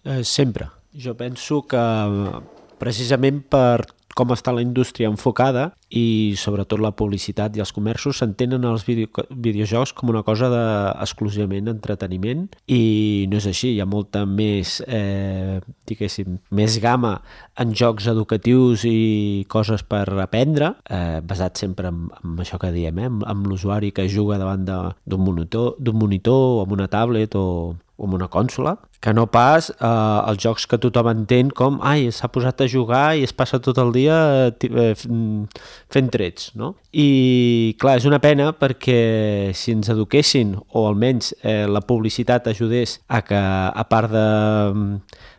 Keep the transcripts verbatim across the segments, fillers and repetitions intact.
Eh, sempre. Jo penso que precisament per com està la indústria enfocada i sobretot la publicitat i els comerços s'entenen els video, videojocs com una cosa de, exclusivament d'entreteniment i no és així, hi ha molta més eh, diguéssim, més gamma en jocs educatius i coses per aprendre, eh, basat sempre en, en això que diem, eh, amb, amb l'usuari que juga davant d'un monitor, d'un monitor o amb una tablet o o amb una consola, que no pas eh, els jocs que tothom entén com ai, s'ha posat a jugar i es passa tot el dia eh, fent trets, no? I clar, és una pena perquè si ens eduquessin o almenys eh, la publicitat ajudés a que a part de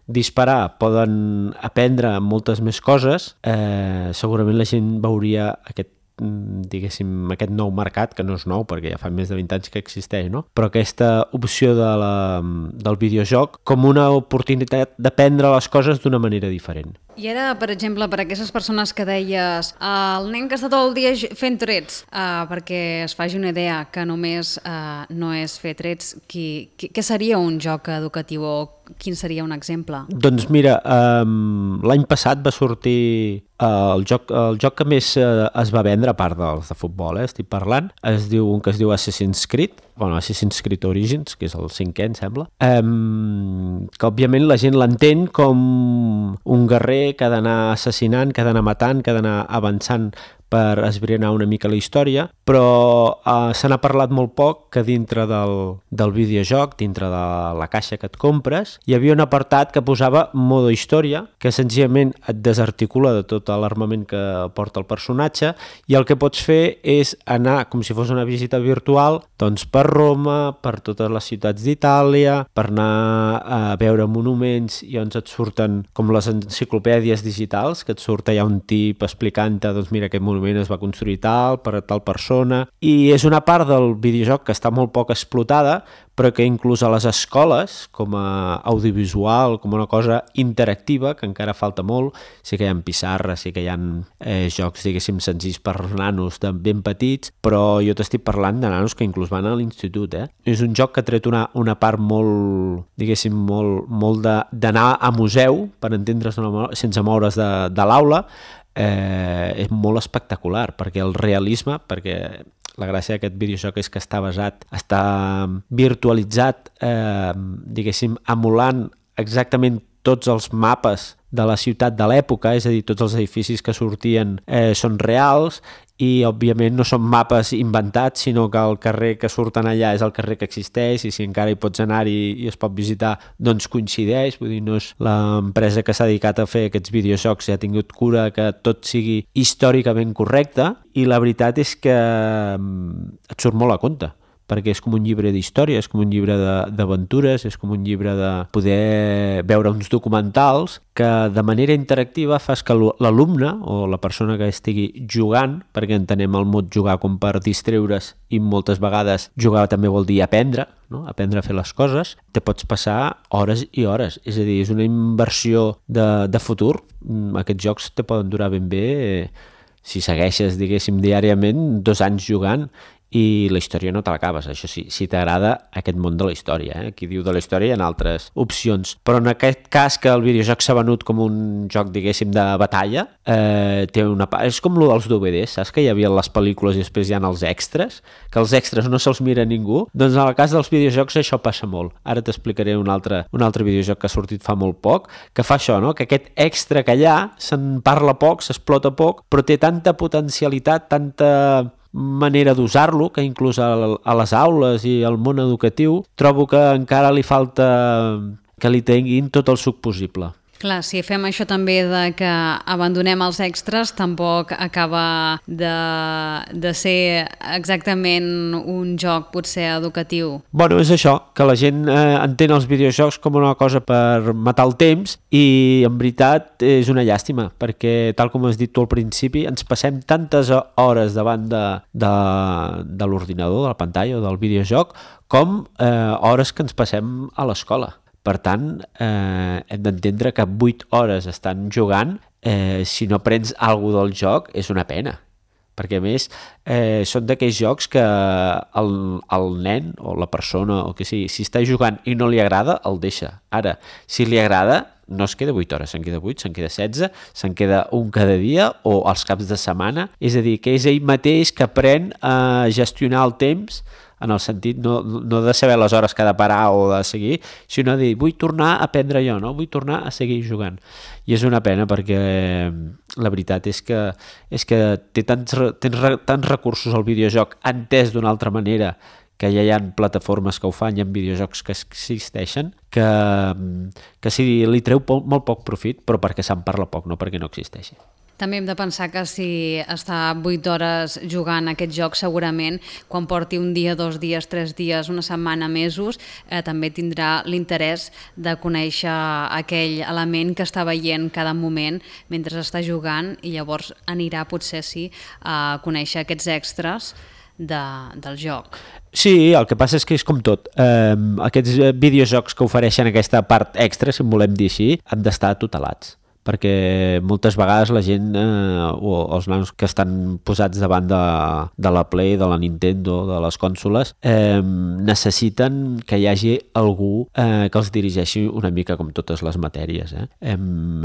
disparar poden aprendre moltes més coses, eh, segurament la gent veuria aquest diguéssim, aquest nou mercat, que no és nou perquè ja fa més de vint anys que existeix, no? Però aquesta opció de la, del videojoc com una oportunitat d'aprendre les coses d'una manera diferent. I ara, per exemple, per aquestes persones que deies el nen que està tot el dia fent trets, uh, perquè es faci una idea que només uh, no és fer trets, qui, qui, què seria un joc educatiu o quin seria un exemple? Doncs mira, um, l'any passat va sortir uh, el, joc, el joc que més uh, es va vendre, a part dels de futbol, eh, estic parlant, es diu un que es diu Assassin's Creed, bueno, Assassin's Creed Origins, que és el cinquè, em sembla, um, que òbviament la gent l'entén com un guerrer que ha d'anar assassinant, que ha d'anar matant, que ha d'anar avançant per esbrinar una mica la història, però eh, se n'ha parlat molt poc que dintre del, del videojoc, dintre de la caixa que et compres, hi havia un apartat que posava modo història, que senzillament et desarticula de tot l'armament que porta el personatge i el que pots fer és anar, com si fos una visita virtual, doncs per Roma, per totes les ciutats d'Itàlia, per anar a veure monuments i on et surten com les enciclopèdies digitals, que et surt allà un tip explicant-te, doncs mira, aquest monument es va construir tal, per tal persona, i és una part del videojoc que està molt poc explotada, però que inclús a les escoles, com a audiovisual, com una cosa interactiva, que encara falta molt, sí que hi ha pissarres, sí que hi ha eh, jocs, diguéssim, senzills per nanos de ben petits, però jo t'estic parlant de nanos que inclús van a l'institut, eh? És un joc que ha tret una, una part molt, diguéssim, molt, molt d'anar a museu, per entendre's sense moure's de, de l'aula, eh, és molt espectacular, perquè el realisme, perquè la gràcia d'aquest videojoc és que està basat, està virtualitzat, eh, diguéssim, emulant exactament tots els mapes de la ciutat de l'època, és a dir, tots els edificis que sortien eh, són reals i, òbviament, no són mapes inventats, sinó que el carrer que surten allà és el carrer que existeix i si encara hi pots anar i, i es pot visitar, doncs coincideix, vull dir, no és l'empresa que s'ha dedicat a fer aquests videojocs i ha tingut cura que tot sigui històricament correcte i la veritat és que et surt molt a compte, perquè és com un llibre d'història, és com un llibre d'aventures, és com un llibre de poder veure uns documentals que de manera interactiva fas que l'alumne o la persona que estigui jugant, perquè entenem el mot jugar com per distreure's i moltes vegades jugar també vol dir aprendre, no? Aprendre a fer les coses, te pots passar hores i hores, és a dir, és una inversió de, de futur. Aquests jocs te poden durar ben bé, eh, si segueixes, diguéssim, diàriament, dos anys jugant i la història no te l'acabes, això sí, si t'agrada aquest món de la història, eh? Qui diu de la història hi ha altres opcions, però en aquest cas que el videojoc s'ha venut com un joc, diguéssim, de batalla, eh, té una part, és com el dels D V Ds, saps que hi havia les pel·lícules i després hi ha els extras, que els extras no se'ls mira ningú, doncs en el cas dels videojocs això passa molt. Ara t'explicaré un altre, un altre videojoc que ha sortit fa molt poc, que fa això, no? Que aquest extra que hi ha se'n parla poc, s'explota poc, però té tanta potencialitat, tanta manera d'usar-lo, que inclús a, a les aules i al món educatiu trobo que encara li falta que li tinguin tot el suc possible. Clar, si fem això també de que abandonem els extras, tampoc acaba de, de ser exactament un joc potser educatiu. Bueno, és això, que la gent eh, entén els videojocs com una cosa per matar el temps i en veritat és una llàstima, perquè tal com has dit tu al principi, ens passem tantes hores davant de, de, de l'ordinador, de la pantalla o del videojoc, com eh, hores que ens passem a l'escola. Per tant, eh, hem d'entendre que vuit hores estan jugant, eh, si no prens alguna cosa del joc, és una pena. perquè a més eh, són d'aquells jocs que el, el nen o la persona o que sigui, si està jugant i no li agrada, el deixa. Ara, si li agrada, no es queda vuit hores, se'n queda vuit, se'n queda setze, se'n queda un cada dia o als caps de setmana. És a dir, que és ell mateix que aprèn a gestionar el temps en el sentit no, no de saber les hores que ha de parar o de seguir, sinó de dir, vull tornar a aprendre jo, no? Vull tornar a seguir jugant. I és una pena perquè la veritat és que, és que té tants, tens tants recursos al videojoc entès d'una altra manera, que ja hi ha plataformes que ho fan, hi ha videojocs que existeixen, que, que sí, li treu molt poc profit, però perquè se'n parla poc, no perquè no existeixi. També hem de pensar que si està vuit hores jugant aquest joc, segurament, quan porti un dia, dos dies, tres dies, una setmana, mesos, eh, també tindrà l'interès de conèixer aquell element que està veient cada moment mentre està jugant i llavors anirà, potser sí, a conèixer aquests extras de, del joc. Sí, el que passa és que és com tot. Eh, aquests videojocs que ofereixen aquesta part extra, si en volem dir així, han d'estar tutelats, perquè moltes vegades la gent eh, o els nanos que estan posats davant de, de la Play, de la Nintendo, de les consoles, eh, necessiten que hi hagi algú eh, que els dirigeixi una mica com totes les matèries. Eh? Eh,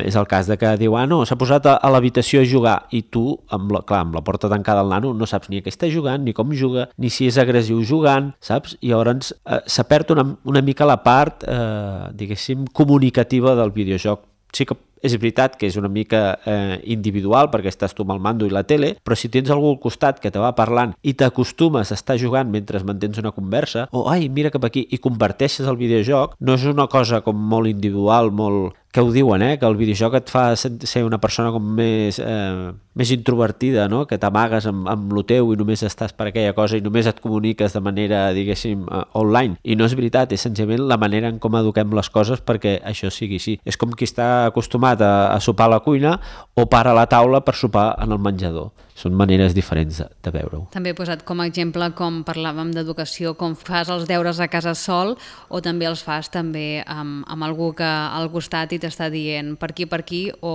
és el cas de que diu, ah no, s'ha posat a, a l'habitació a jugar i tu, amb la, clar, amb la porta tancada al nano, no saps ni a què està jugant, ni com juga, ni si és agressiu jugant, saps? I llavors eh, s'ha perd una, una mica la part, eh, diguéssim, comunicativa del videojoc. Sí que és veritat que és una mica eh, individual perquè estàs tu amb el mando i la tele, però si tens algú al costat que te va parlant i t'acostumes a estar jugant mentre mantens una conversa, o ai, mira cap aquí, i converteixes el videojoc, no és una cosa com molt individual, molt... que ho diuen, eh? Que el videojoc et fa ser una persona com més, eh, més introvertida, no? Que t'amagues amb, amb lo teu i només estàs per aquella cosa i només et comuniques de manera, diguéssim, uh, online. I no és veritat, és senzillament la manera en com eduquem les coses perquè això sigui així. És com qui està acostumat a, a sopar a la cuina o para a la taula per sopar en el menjador. Són maneres diferents de, de veure-ho. També he posat com a exemple, com parlàvem d'educació, com fas els deures a casa sol o també els fas també amb, amb algú que al costat i t'està dient per aquí, per aquí o,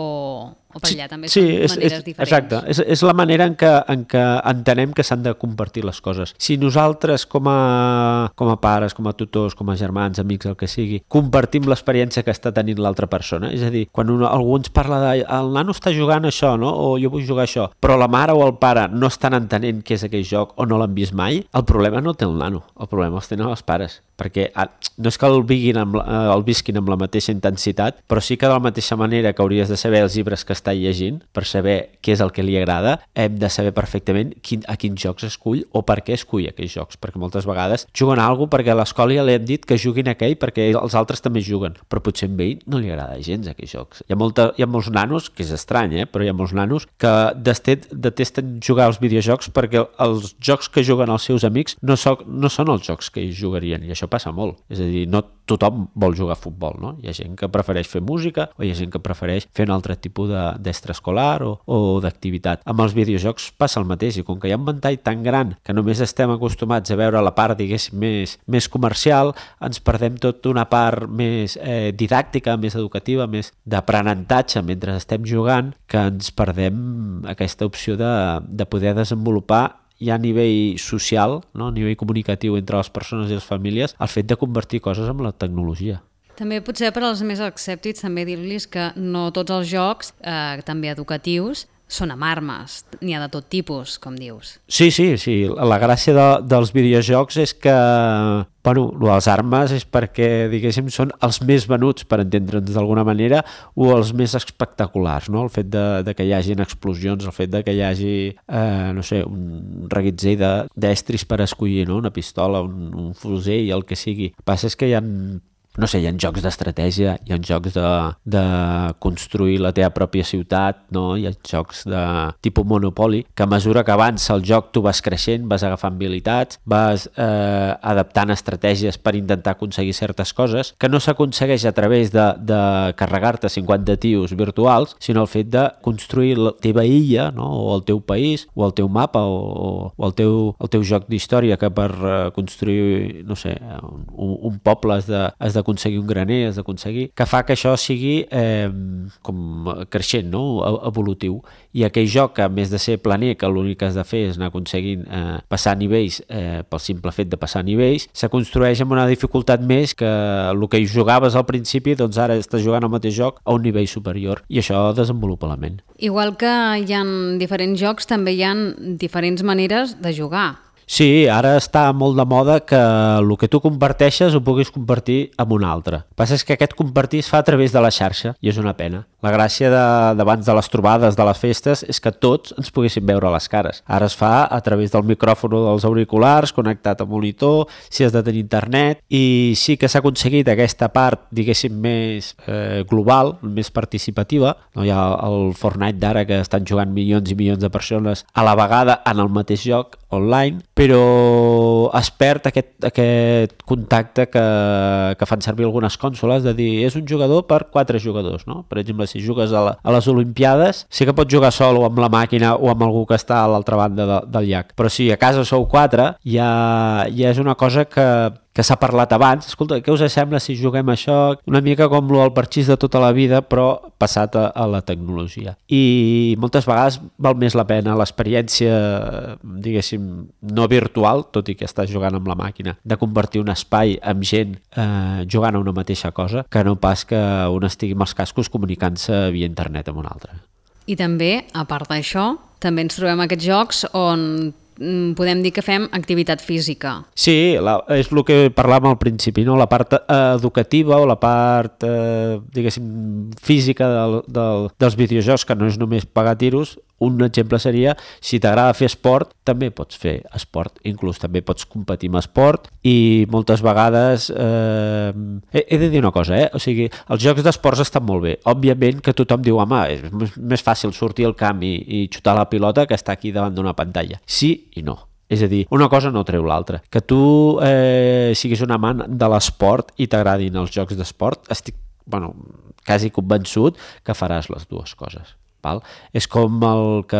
o per allà. També sí, són és, maneres és, diferents. Exacte, és, és la manera en què, en què entenem que s'han de compartir les coses. Si nosaltres com a, com a pares, com a tutors, com a germans, amics, el que sigui, compartim l'experiència que està tenint l'altra persona, és a dir, quan un, algú ens parla de el nano està jugant això, no? O jo vull jugar això, però la mare o el pare no estan entenent què és aquell joc o no l'han vist mai, el problema no té el nano, el problema els tenen els pares, perquè no és que el, viguin amb, el visquin amb la mateixa intensitat, però sí que de la mateixa manera que hauries de saber els llibres que està llegint per saber què és el que li agrada, hem de saber perfectament quin, a quins jocs escull o per què escull aquells jocs, perquè moltes vegades juguen a alguna cosa perquè a l'escola ja li han dit que juguin aquell perquè els altres també juguen, però potser a ell no li agrada gens aquells jocs. Hi ha, molta, hi ha molts nanos, que és estrany, eh? Però hi ha molts nanos que detesten jugar als videojocs perquè els jocs que juguen els seus amics no, so, no són els jocs que ells jugarien, i això passa molt. És a dir, no tothom vol jugar a futbol, no? Hi ha gent que prefereix fer música o hi ha gent que prefereix fer un altre tipus d'extraescolar o, o d'activitat. Amb els videojocs passa el mateix, i com que hi ha un ventall tan gran que només estem acostumats a veure la part, diguéssim, més, més comercial, ens perdem tota una part més eh, didàctica, més educativa, més d'aprenentatge mentre estem jugant, que ens perdem aquesta opció de, de poder desenvolupar ja a nivell social, no? A nivell comunicatiu entre les persones i les famílies, el fet de convertir coses amb la tecnologia. També potser per als més escèptics també dir-los que no tots els jocs, eh, també educatius, són amb armes, n'hi ha de tot tipus, com dius. Sí, sí, sí. La gràcia de, dels videojocs és que, bueno, les armes és perquè, diguéssim, són els més venuts, per entendre'ns d'alguna manera, o els més espectaculars, no? El fet de, de que hi hagin explosions, el fet de que hi hagi, eh, no sé, un reguitzell d'estris per escollir, no? Una pistola, un, un fusell, el que sigui. El que passa és que hi ha... no sé, hi ha jocs d'estratègia, hi ha jocs de, de construir la teva pròpia ciutat, no? Hi ha jocs de tipus Monopoly, que a mesura que avança el joc tu vas creixent, vas agafant habilitats, vas eh, adaptant estratègies per intentar aconseguir certes coses, que no s'aconsegueix a través de, de carregar-te cinquanta tios virtuals, sinó el fet de construir la teva illa, no? O el teu país, o el teu mapa, o, o el, teu, el teu joc d'història, que per eh, construir, no sé, un, un poble has de, has de d'aconseguir un graner, has d'aconseguir... que fa que això sigui eh, com creixent, no? Evolutiu. I aquell joc, que a més de ser planer, que l'únic que has de fer és anar aconseguint eh, passar nivells eh, pel simple fet de passar nivells, se construeix amb una dificultat més que el que hi jugaves al principi, doncs ara estàs jugant el mateix joc a un nivell superior, i això desenvolupa la ment. Igual que hi ha diferents jocs, també hi ha diferents maneres de jugar. Sí, ara està molt de moda que el que tu comparteixes ho puguis compartir amb un altre. El que passa és que aquest compartir es fa a través de la xarxa i és una pena. La gràcia d'abans de, de les trobades, de les festes, és que tots ens poguéssim veure les cares. Ara es fa a través del micròfon dels auriculars, connectat a monitor, si has de tenir internet, i sí que s'ha aconseguit aquesta part, diguéssim, més eh, global, més participativa. No hi ha el Fortnite d'ara que estan jugant milions i milions de persones a la vegada en el mateix joc online, però es perd aquest, aquest contacte que, que fan servir algunes cònsoles de dir és un jugador per quatre jugadors, no? Per exemple, si jugues a, la, a les Olimpiades, sí que pots jugar sol o amb la màquina o amb algú que està a l'altra banda de, del llac, però si a casa sou quatre, ja, ja és una cosa que que s'ha parlat abans. Escolta, què us sembla si juguem això? Una mica com el parxís de tota la vida, però passat a, a la tecnologia. I moltes vegades val més la pena l'experiència, diguéssim, no virtual, tot i que estàs jugant amb la màquina, de convertir un espai amb gent eh, jugant a una mateixa cosa, que no pas que un estigui amb els cascos comunicant-se via internet amb un altre. I també, a part d'això, també ens trobem aquests jocs on podem dir que fem activitat física. Sí, la, és el que parlàvem al principi, no? La part eh, educativa o la part, eh, diguéssim, física del, del, dels videojocs, que no és només pegar tiros. Un exemple seria, si t'agrada fer esport, també pots fer esport, inclús també pots competir amb esport, i moltes vegades eh, he, he de dir una cosa, eh? O sigui, els jocs d'esports estan molt bé. Òbviament que tothom diu, home, és més fàcil sortir al camp i, i xutar la pilota que estar aquí davant d'una pantalla. Sí i no. És a dir, una cosa no treu l'altra. Que tu eh, siguis un amant de l'esport i t'agradin els jocs d'esport, estic, bueno, quasi convençut que faràs les dues coses. Val? És com el que,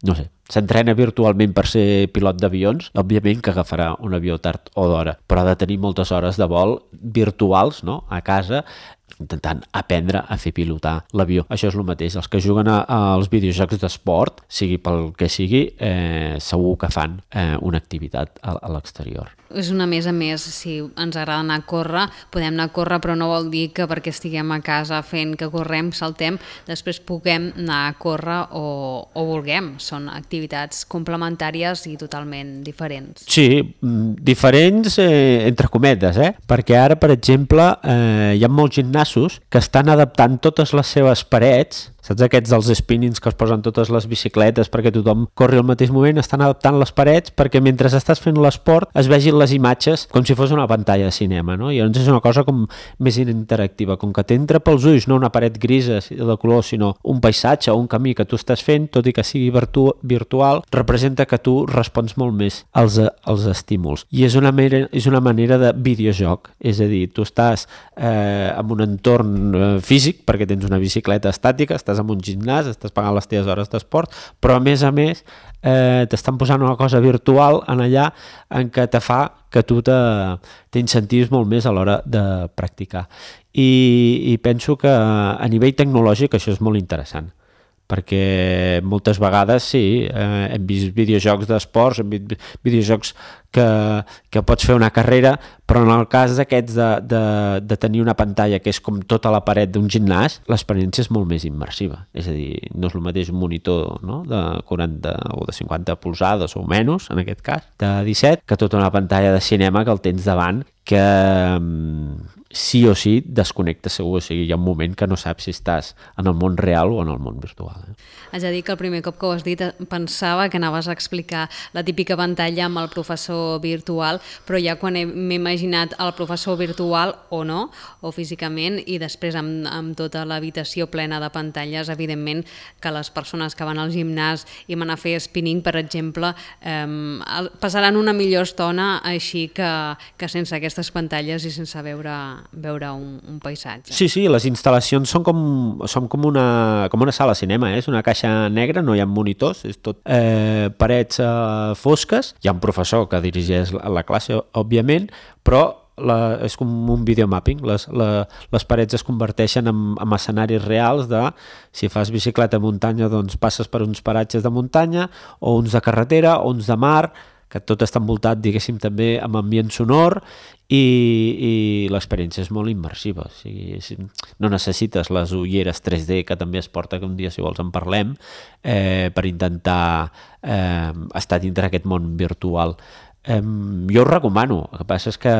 no sé, s'entrena virtualment per ser pilot d'avions, òbviament que agafarà un avió tard o d'hora, però ha de tenir moltes hores de vol virtuals, no?, a casa, intentant aprendre a fer pilotar l'avió. Això és el mateix. Els que juguen a, als videojocs d'esport, sigui pel que sigui, eh, segur que fan eh, una activitat a, a l'exterior. És una més a més, si ens agrada anar a córrer, podem anar a córrer, però no vol dir que perquè estiguem a casa fent que correm, saltem, després puguem anar a córrer o, o vulguem. Són activitats complementàries i totalment diferents. Sí, diferents eh, entre cometes, eh? Perquè ara, per exemple, eh, hi ha molts gimnasos que estan adaptant totes les seves parets, saps aquests dels spinnings que es posen totes les bicicletes perquè tothom corri al mateix moment, estan adaptant les parets perquè mentre estàs fent l'esport es vegin les imatges com si fos una pantalla de cinema, no? I llavors és una cosa com més interactiva, com que t'entra pels ulls no una paret grisa de color, sinó un paisatge o un camí que tu estàs fent, tot i que sigui virtu virtual, representa que tu respons molt més als, als estímuls. I és una, manera, és una manera de videojoc, és a dir, tu estàs eh, en un entorn eh, físic perquè tens una bicicleta estàtica, estàs en un gimnàs, estàs pagant les teves hores d'esport, però a més a més eh, t'estan posant una cosa virtual en allà en què te fa que tu t'incentivis molt més a l'hora de practicar. I, i penso que a nivell tecnològic això és molt interessant, perquè moltes vegades sí, eh, hem vist videojocs d'esports, hem vist videojocs que, que pots fer una carrera, però en el cas d'aquests de, de, de tenir una pantalla que és com tota la paret d'un gimnàs, l'experiència és molt més immersiva. És a dir, no és el mateix un monitor, no?, de quaranta o de cinquanta polzades o menys, en aquest cas, de disset, que tota una pantalla de cinema que el tens davant, que sí o sí desconnecta segur, o sigui, hi ha un moment que no saps si estàs en el món real o en el món virtual. Eh? Haig de dir que el primer cop que ho has dit pensava que anaves a explicar la típica pantalla amb el professor virtual, però ja quan m'he imaginat el professor virtual o no, o físicament, i després amb, amb tota l'habitació plena de pantalles, evidentment que les persones que van al gimnàs i van a fer spinning, per exemple, eh, passaran una millor estona així que, que sense aquestes pantalles i sense veure, veure un, un paisatge. Sí, sí, les instal·lacions són com, són com, una, com una sala de cinema, eh? És una caixa negra, no hi ha monitors, és tot eh, parets eh, fosques. Hi ha un professor que dirigeix la classe, òbviament, però la, és com un videomapping, les, la, les parets es converteixen en, en escenaris reals de, si fas bicicleta a muntanya, doncs passes per uns paratges de muntanya, o uns de carretera, o uns de mar, que tot està envoltat, diguéssim, també amb ambient sonor, i, i l'experiència és molt immersiva. O sigui, no necessites les ulleres tres D, que també es porta, que un dia, si vols, en parlem, eh, per intentar eh, estar dintre aquest món virtual. Eh, jo ho recomano, el que passa és que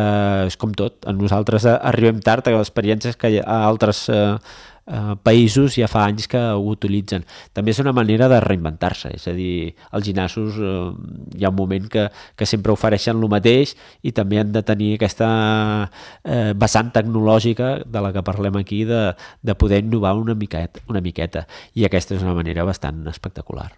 és com tot, nosaltres arribem tard a experiències que a altres eh, eh, països ja fa anys que ho utilitzen. També és una manera de reinventar-se, és a dir, als gimnasos eh, hi ha un moment que, que sempre ofereixen el mateix i també han de tenir aquesta eh, vessant tecnològica de la que parlem aquí, de, de poder innovar una miqueta, una miqueta, i aquesta és una manera bastant espectacular.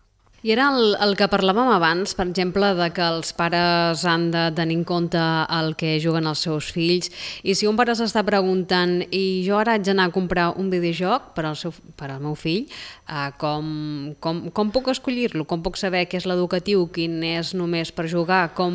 I era el, el que parlàvem abans, per exemple, de que els pares han de tenir en compte el que juguen els seus fills, i si un pare s'està preguntant i jo ara haig d'anar a comprar un videojoc per al, seu, per al meu fill, eh, com, com, com puc escollir-lo? Com puc saber què és l'educatiu, quin és només per jugar? Com...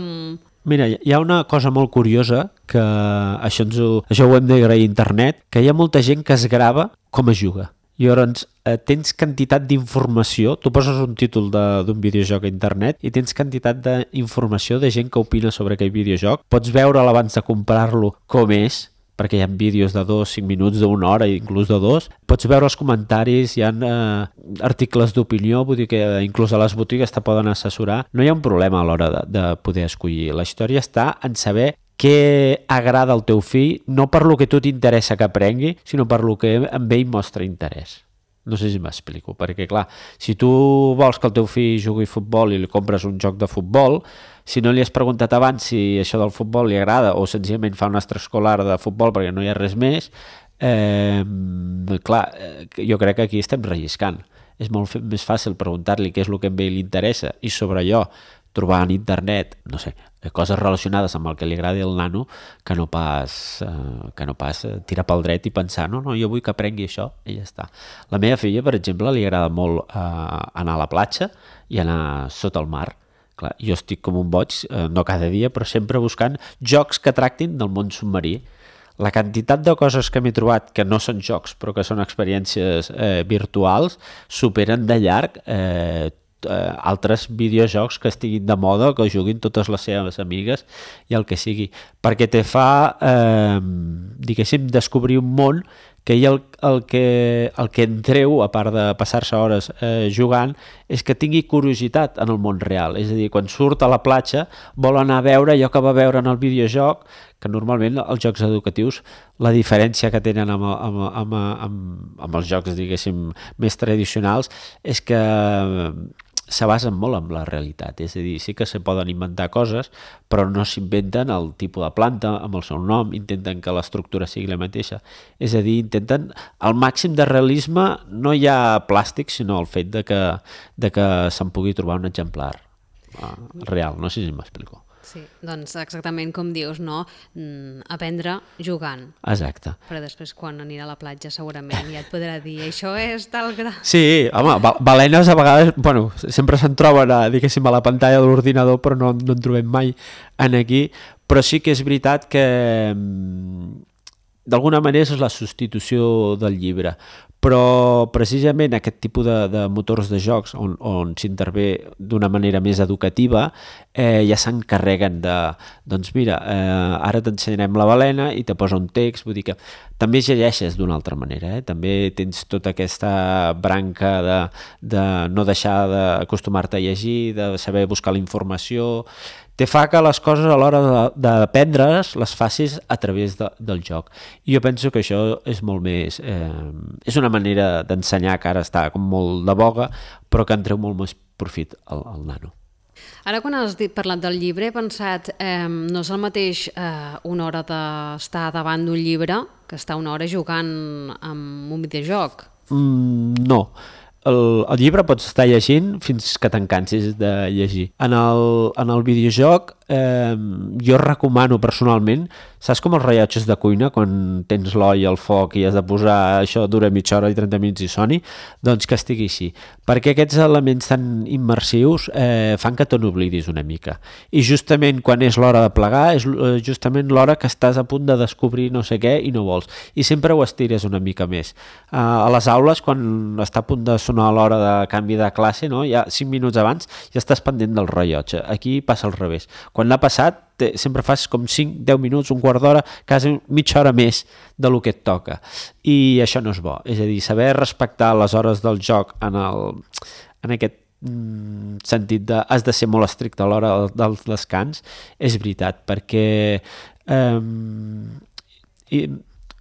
Mira, hi ha una cosa molt curiosa, que això, ens ho, això ho hem d'agrair a internet, que hi ha molta gent que es grava com es juga. I llavors eh, tens quantitat d'informació, tu poses un títol d'un videojoc a internet i tens quantitat d'informació de gent que opina sobre aquell videojoc. Pots veure'l abans de comprar-lo com és, perquè hi ha vídeos de dos, cinc minuts, d'una hora, inclús de dos. Pots veure els comentaris, hi ha eh, articles d'opinió, vull dir que inclús a les botigues te poden assessorar. No hi ha un problema a l'hora de, de poder escollir. La història està en saber què agrada al teu fill, no per lo que tu t'interessa que aprengui, sinó per lo que amb ell mostra interès. No sé si m'explico, perquè clar, si tu vols que el teu fill jugui a futbol i li compres un joc de futbol, si no li has preguntat abans si això del futbol li agrada o senzillament fa un extraescolar de futbol perquè no hi ha res més, eh, clar, jo crec que aquí estem relliscant. És molt més fàcil preguntar-li què és el que a ell li interessa i sobre allò trobar en internet, no sé, coses relacionades amb el que li agradi al nano, que no pas, eh, que no pas tirar pel dret i pensar, no, no, jo vull que aprengui això, i ja està. La meva filla, per exemple, li agrada molt eh, anar a la platja i anar sota el mar. Clar, jo estic com un boig, eh, no cada dia, però sempre buscant jocs que tractin del món submarí. La quantitat de coses que m'he trobat que no són jocs, però que són experiències eh, virtuals, superen de llarg eh, Eh, altres videojocs que estiguin de moda, que juguin totes les seves amigues i el que sigui, perquè te fa eh, diguéssim, descobrir un món que ell el, el, que, el que en treu, a part de passar-se hores eh, jugant, és que tingui curiositat en el món real. És a dir, quan surt a la platja vol anar a veure allò que va veure en el videojoc, que normalment els jocs educatius, la diferència que tenen amb, amb, amb, amb, amb els jocs, diguéssim, més tradicionals, és que se basen molt en la realitat, és a dir, sí que se poden inventar coses, però no s'inventen el tipus de planta amb el seu nom, intenten que l'estructura sigui la mateixa, és a dir, intenten al màxim de realisme, no hi ha plàstic, sinó el fet de que, de que se'n pugui trobar un exemplar uh, real, no sé si m'explico. Sí, doncs exactament com dius, no? Mm, aprendre jugant. Exacte. Però després quan anirà a la platja segurament ja et podrà dir això és tal gra... Sí, home, balenes a vegades, bueno, sempre se'n troben a, diguéssim, a la pantalla de l'ordinador, però no, no en trobem mai en aquí, però sí que és veritat que d'alguna manera és la substitució del llibre, però precisament aquest tipus de, de motors de jocs on, on s'intervé d'una manera més educativa eh, ja s'encarreguen de, doncs mira, eh, ara t'ensenyarem la balena i te posa un text, vull dir que també llegeixes d'una altra manera, eh? També tens tota aquesta branca de, de no deixar d'acostumar-te a llegir, de saber buscar la informació, te fa que les coses a l'hora d'aprendre's les facis a través de, del joc. I jo penso que això és molt més... Eh, és una manera d'ensenyar que ara està com molt de boga, però que en treu molt més profit al, al nano. Ara quan has dit, parlat del llibre he pensat, eh, no és el mateix eh, una hora d'estar davant d'un llibre que estar una hora jugant amb un videojoc? Mm, no. El, el llibre pots estar llegint fins que te'n cansis de llegir. En el, en el videojoc eh, jo recomano personalment, saps com els rellotges de cuina, quan tens l'oll al foc i has de posar això dura mitja hora i trenta minuts i soni? Doncs que estigui així, perquè aquests elements tan immersius eh, fan que te n'oblidis una mica. I justament quan és l'hora de plegar, és justament l'hora que estàs a punt de descobrir no sé què i no vols. I sempre ho estires una mica més. Eh, a les aules, quan està a punt de sonar l'hora de canvi de classe, no? Ja cinc minuts abans ja estàs pendent del rellotge. Aquí passa al revés. Quan l'ha passat, te, sempre fas com cinc, deu minuts, un quart d'hora, quasi mitja hora més de lo que et toca. I això no és bo. És a dir, saber respectar les hores del joc en, el, en aquest mm, sentit de has de ser molt estricte a l'hora dels descans, és veritat, perquè eh, i,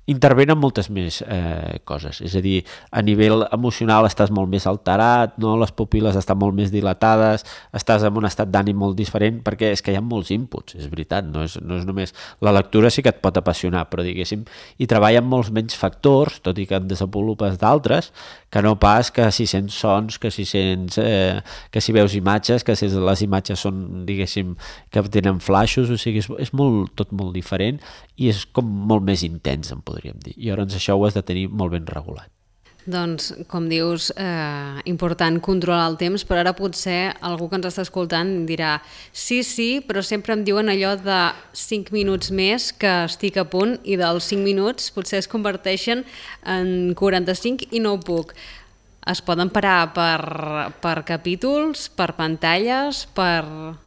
intervenen moltes més eh, coses, és a dir, a nivell emocional estàs molt més alterat, no? Les pupil·les estan molt més dilatades, estàs en un estat d'ànim molt diferent, perquè és que hi ha molts inputs, és veritat, no és, no és només... La lectura sí que et pot apassionar, però diguéssim, hi treballen molts menys factors, tot i que en desenvolupes d'altres, que no pas que si sents sons, que si sents... Eh, que si veus imatges, que si les imatges són, diguéssim, que tenen flaixos, o sigui, és, és molt, tot molt diferent i és com molt més intens, em podríem dir. I llavors això ho has de tenir molt ben regulat. Doncs, com dius, eh, important controlar el temps, però ara potser algú que ens està escoltant dirà sí, sí, però sempre em diuen allò de cinc minuts més que estic a punt i dels cinc minuts potser es converteixen en quaranta-cinc i no ho puc. Es poden parar per, per capítols, per pantalles, per...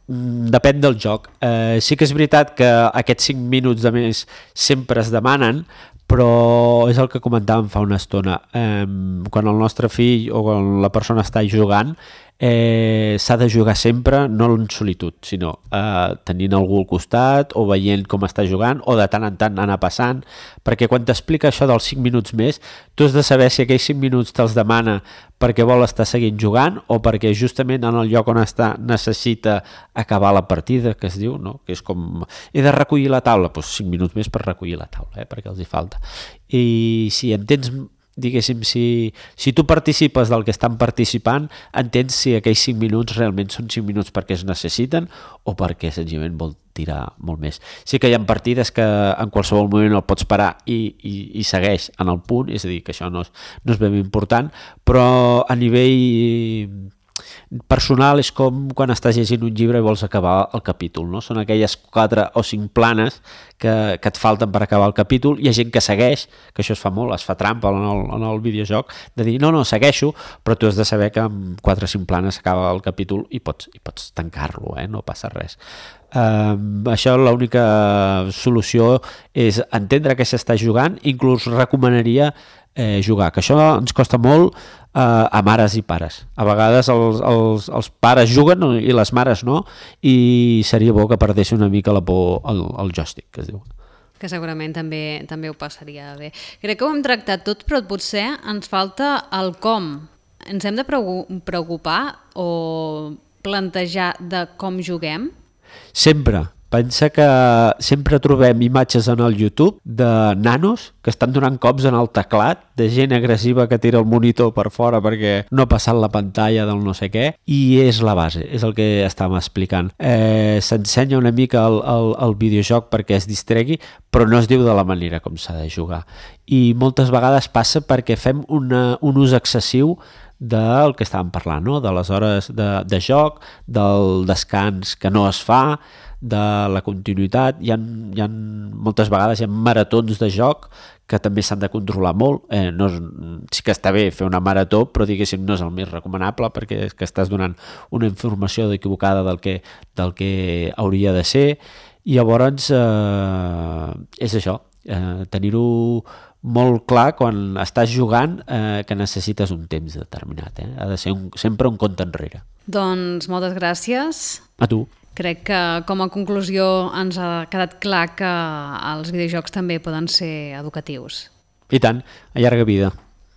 Depèn del joc. Eh, sí que és veritat que aquests cinc minuts de més sempre es demanen, però és el que comentàvem fa una estona. Eh, quan el nostre fill o quan la persona està jugant, eh, s'ha de jugar sempre, no en solitud, sinó eh, tenint algú al costat o veient com està jugant o de tant en tant anar passant, perquè quan t'explica això dels cinc minuts més, tu has de saber si aquells cinc minuts te'ls demana perquè vol estar seguint jugant o perquè justament en el lloc on està necessita acabar la partida, que es diu, no? Que és com, he de recollir la taula, doncs cinc minuts més per recollir la taula, eh? Perquè els hi falta. I si entens, diguéssim, si, si tu participes del que estan participant, entens si aquells cinc minuts realment són cinc minuts perquè es necessiten o perquè senzillament vol tirar molt més. Sí que hi ha partides que en qualsevol moment el pots parar i, i, i segueix en el punt, és a dir, que això no és, no és ben important, però a nivell personal és com quan estàs llegint un llibre i vols acabar el capítol, no? Són aquelles quatre o cinc planes que, que et falten per acabar el capítol. Hi ha gent que segueix, que això es fa molt, es fa trampa en el, en el videojoc, de dir, no, no, segueixo, però tu has de saber que amb quatre o cinc planes s'acaba el capítol i pots, i pots tancar-lo, eh? No passa res. Um, això l'única solució és entendre que s'està jugant, inclús recomanaria eh, jugar, que això ens costa molt eh, a mares i pares. A vegades els, els, els pares juguen i les mares no, i seria bo que perdessi una mica la por al, al joystick, que es diu. Que segurament també, també ho passaria bé. Crec que ho hem tractat tot, però potser ens falta el com. Ens hem de preocupar o plantejar de com juguem? Sempre. Pensa que sempre trobem imatges en el YouTube de nanos que estan donant cops en el teclat, de gent agressiva que tira el monitor per fora perquè no ha passat la pantalla del no sé què, i és la base, és el que estàvem explicant. Eh, S'ensenya una mica el, el, el videojoc perquè es distregui, però no es diu de la manera com s'ha de jugar. I moltes vegades passa perquè fem una, un ús excessiu del que estàvem parlant, no? De les hores de, de joc, del descans que no es fa, de la continuïtat. Hi ha, hi ha moltes vegades hi ha maratons de joc que també s'han de controlar molt. Eh, no és, sí que està bé fer una marató, però diguéssim no és el més recomanable perquè és que estàs donant una informació equivocada del que, del que hauria de ser. I llavors eh, és això, eh, tenir-ho molt clar quan estàs jugant eh, que necessites un temps determinat. Eh? Ha de ser un, sempre un compte enrere. Doncs moltes gràcies. A tu. Crec que com a conclusió ens ha quedat clar que els videojocs també poden ser educatius. I tant, a llarga vida.